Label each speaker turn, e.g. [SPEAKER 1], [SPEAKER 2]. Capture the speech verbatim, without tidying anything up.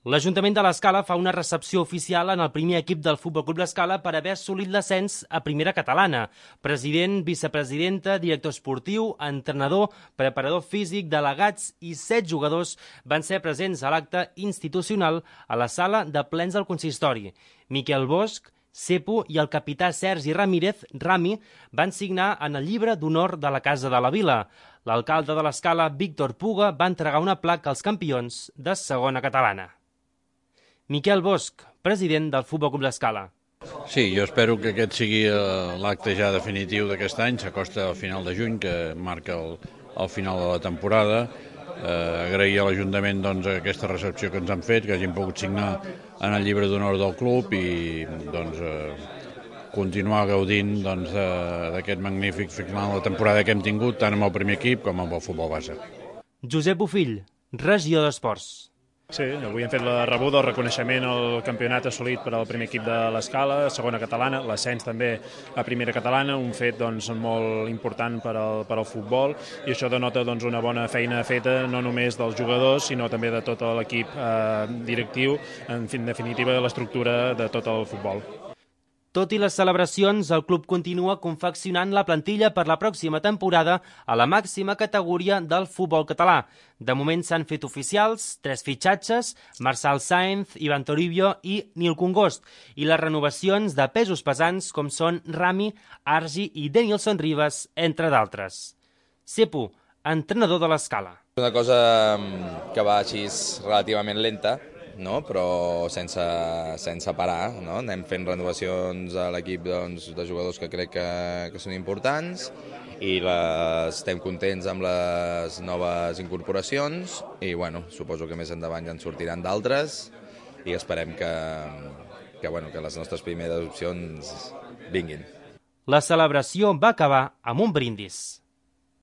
[SPEAKER 1] L'Ajuntament de l'Escala fa una recepció oficial en el primer equip del Futbol Club l'Escala per haver assolit l'ascens a primera catalana. President, vicepresidenta, director esportiu, entrenador, preparador físic, delegats i set jugadors van ser presents a l'acte institucional a la sala de plens del consistori. Miquel Bosch, Cepo i el capità Sergi Ramírez, Rami, van signar en el llibre d'honor de la Casa de la Vila. L'alcalde de l'Escala, Víctor Puga, va entregar una placa als campions de segona catalana. Miquel Bosch, president del Futbol Club l'Escala.
[SPEAKER 2] Sí, jo espero que aquest sigui l'acte ja definitiu d'aquest any. S'acosta al final de juny, que marca el, el final de la temporada. Eh, agrair a l'Ajuntament doncs, aquesta recepció que ens han fet, que hagin pogut signar en el llibre d'honor del club i doncs, eh, continuar gaudint doncs, d'aquest magnífic final de temporada que hem tingut tant amb el primer equip com amb el futbol base.
[SPEAKER 1] Josep Bofill, regidor d'Esports.
[SPEAKER 3] Sí, avui hem fet la rebuda, el reconeixement al campionat assolit per al primer equip de l'Escala, segona catalana, l'ascens també a primera catalana, un fet doncs, molt important per al, per al futbol, i això denota doncs, una bona feina feta no només dels jugadors, sinó també de tot l'equip eh, directiu, en, en definitiva l'estructura de tot el futbol.
[SPEAKER 1] Tot i les celebracions, el club continua confeccionant la plantilla per la pròxima temporada a la màxima categoria del futbol català. De moment s'han fet oficials tres fitxatges, Marçal Sáenz, Ivan Toribio i Nil Congost, i les renovacions de pesos pesants com són Rami, Argi i Denilson Ribas, entre d'altres. Cepo, entrenador de l'Escala.
[SPEAKER 4] Una cosa que va així relativament lenta, no? Però sense, sense parar, no? Anem fent renovacions a l'equip doncs, de jugadors que crec que, que són importants i les, estem contents amb les noves incorporacions i bueno, suposo que més endavant ja en sortiran d'altres i esperem que, que, bueno, que les nostres primeres opcions vinguin.
[SPEAKER 1] La celebració va acabar amb un brindis.